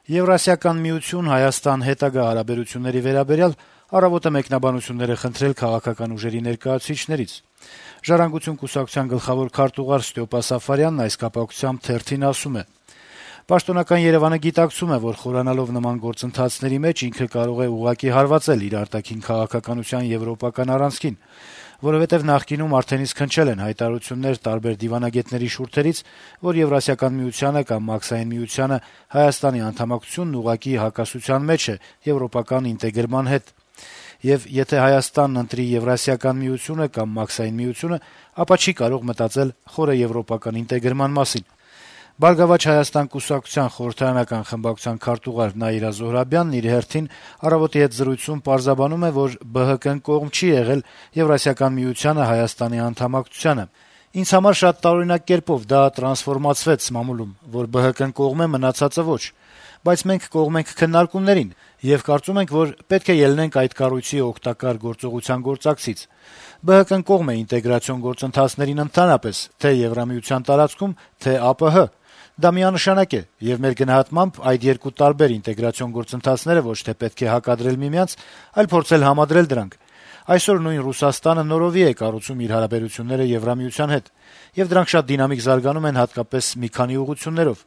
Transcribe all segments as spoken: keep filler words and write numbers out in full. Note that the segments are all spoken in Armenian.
Եվրասիական միություն Հայաստան հետագա հարաբերությունների վերաբերյալ «Առավոտ»-ը մեկնաբանություններ է խնդրել քաղաքական ուժերի ներկայացուցիչներից։ «Ժառանգություն» կուսակցության գլխավոր քարտուղար Ստյոպա Սաֆարյանն այս կապակցությամբ թերթին ասում է. «Պաշտոնական Երեւանը գիտակցում է, որ խորանալով նման գործընթացների մեջ ինքը կարող է ուղղակի հարվածել իր արտաքին քաղաքականության եվրոպական առանցքին, որովհետեւ նախկինում արդեն իսկ հնչել են հայտարարություններ տարբեր դիվանագետների շուրթերից, որ Եվրասիական միությանը կամ Մաքսային միությանը Հայաստանի անդամակցությունն ուղղակի հակասության մեջ է եվրոպական ինտեգրման հետ։ Եվ եթե Հայաստանն ընտրի Եվրասիական միությունը կամ Մաքսային միությունը, ապա չի կարող մտածել խորը եվրոպական ինտեգրման մասին»։ «Բարգավաճ Հայաստան» կուսակցության խորհրդարանական խմբակցության քարտուղար Նաիրա Զոհրաբյանն իր հերթին «Առավոտ»-ի հետ զրույցում պարզաբանում է, որ ԲՀԿ-ն կողմ չի եղել Եվրասիական միությանը Հայաստանի անդամակցությանը։ «Ինձ համար շատ տարօրինակ կերպով դա տրանսֆորմացվեց մամուլում, որ ԲՀԿ-ն կողմ է, մնացածը ոչ։ Բայց մենք կողմ ենք քննարկումներին եւ կարծում ենք, որ պետք է ելնենք այդ կառույցի օգտակար գործողության գործակցից։ ԲՀԿ-ն կողմ է ինտեգրացիոն գործընթացներին ընդհանրապես, թե Եվրամիության տարածքում, թե ԱՊՀ։ Դա միանշանակ է, եւ մեր գնահատմամբ այդ երկու տարբեր ինտեգրացիոն գործընթացները ոչ թե պետք է հակադրել միմյանց, այլ փորձել համադրել դրանք։ Այսօր նույն Ռուսաստանը նորովի է կառուցում իր հարաբերությունները Եվրամիության հետ, եւ դրանք շատ դինամիկ զարգանում են հատկապես մի քանի ուղղություններով։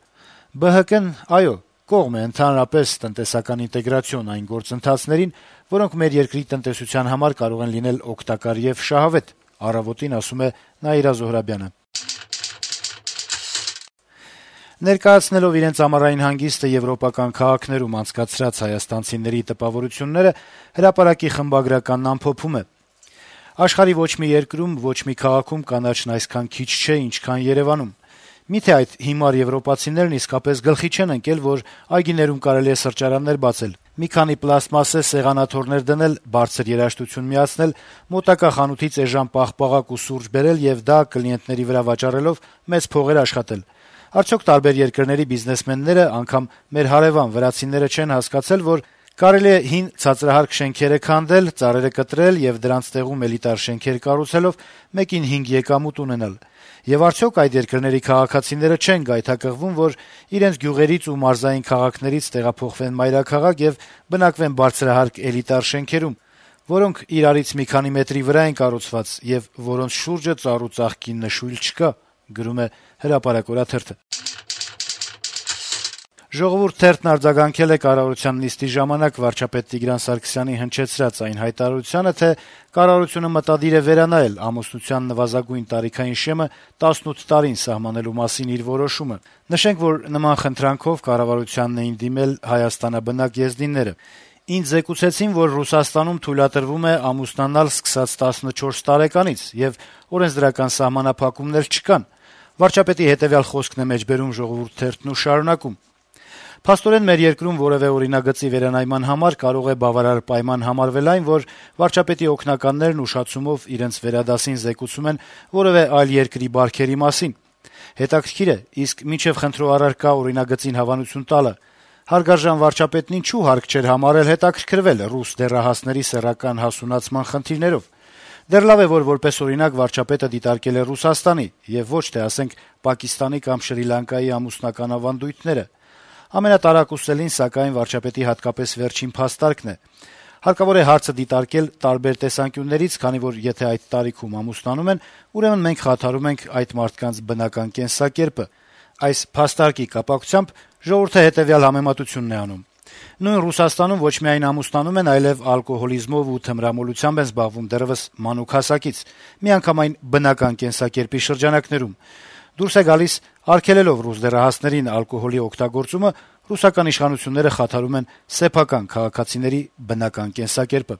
ԲՀԿ-ն, այո, կողմ է ընդհանրապես տնտեսական ինտեգրացիոն այն գործընթացներին, որոնք մեր երկրի տնտեսության համար կարող են լինել օգտակար եւ շահավետ», «Առավոտ»-ին ասում է Նաիրա Զոհրաբյանը։ Ներկայացնելով իրենց ամառային հանգիստը եվրոպական քաղաքներում անցկացրած հայաստանցիների տպավորությունները, Հրապարակի խմբագրականն ամփոփում է. «Աշխարհի ոչ մի երկրում, ոչ մի քաղաքում կանաչն այսքան քիչ չէ, ինչքան Երեւանում։ Միթե այդ հիմար եվրոպացիներն իսկապես գլխի չեն ընկել, որ այգիներում կարելի է սրճարաններ բացել, մի քանի պլաստմասե սեղանաթոռներ դնել, բարձր երաժշտություն միացնել, մոտակա խանութից էժան պաղպաղակ ու սուրճ բերել եւ դա կլիենտների վրա վաճառելով մեծ փողեր աշխատել։ Արդյոք տարբեր երկրների բիզնեսմենները, անգամ մեր հարեւան վրացիները չեն հասկացել, որ կարելի է հին ցածրահարկ շենքերը քանդել, ծառերը կտրել եւ դրանց տեղում էլիտար շենքեր կառուցելով մեկին հինգ եկամուտ ունենալ։ Եվ արդյոք այդ երկրների քաղաքացիները չեն գայթակղվում, որ իրենց գյուղերից ու մարզային քաղաքներից տեղափոխվեն մայրաքաղաք եւ բնակվեն բարձրահարկ էլիտար շենքերում, որոնք իրարից մի քանի մետրի վրա են կառուցված եւ որոնց շուրջը ծառ ու ծաղկի նշույլ չկա», գրում է Հրապարակ օրաթերթը։ «Ժողովուրդ» թերթն արձագանքել է կառավարության նիստի ժամանակ վարչապետ Տիգրան Սարգսյանի հնչեցրած այն հայտարարությանը, թե կառավարությունը մտադիր է վերանայել ամուսնության նվազագույն տարիքային շեմը տասնութ տարին սահմանելու մասին իր որոշումը։ Նշենք, որ նման խնդրանքով կառավարությանն էին դիմել հայաստանաբնակ եզդիները։ «Ինձ զեկուցեցին, որ Ռուսաստանում թույլատրվում է ամուսնանալ սկսած տասնչորս տարեկանից եւ օրենսդրական սահմանափակումներ չկան», վարչապետի հետեւյալ խոսքն է մեջբերում «Ժողովուրդ» թերթն ու շարունակում. «Փաստորեն մեր երկրում որեւէ օրինագծի վերանայման համար կարող է բավարար պայման համարվել այն, որ վարչապետի օգնականներն ուշացումով իրենց վերադասին զեկուցում են որեւէ այլ երկրի բարքերի մասին։ Հետաքրքիր է, իսկ մինչեւ խնդրու առարկա օրինագծին հավանություն տալը հարգարժան վարչապետն ինչու հարկ չէր համարել հետաքրքրվել ռուս դեռահասների սեռական հասունացման խնդիրներով։ Դեռ լավ է, որ որպես օրինակ վարչապետը դիտարկել է Ռուսաստանի եւ ոչ թե, ասենք, Պակիստանի կամ Շրի Լանկայի ամուսնական ավանդույթները։ Ամենատարակուսելին, սակայն, վարչապետի հատկապես վերջին փաստարկն է։ Հարկավոր է հարցը դիտարկել տարբեր տեսանկյուններից, քանի որ եթե այդ տարիքում ամուսնանում են, ուրեմն մենք խաթարում ենք այդ մարդկանց բնական կենսակերպը։ Այս փաստարկի կապակցությամբ Ժողովուրդը հետեւյալ համեմատությունն է անում. Նույն Ռուսաստանում ոչ միայն ամուսնանում են, այլեւ ալկոհոլիզմով ու թմրամոլությամբ են զբաղվում դեռեւս մանուկ հասակից, միանգամայն բնական կենսակերպի շրջանակներում։ Դուրս է գալիս, արգելելով ռուս դեռահասներին ալկոհոլի օգտագործումը, ռուսական իշխանությունները խաթարում են սեփական քաղաքացիների բնական կենսակերպը։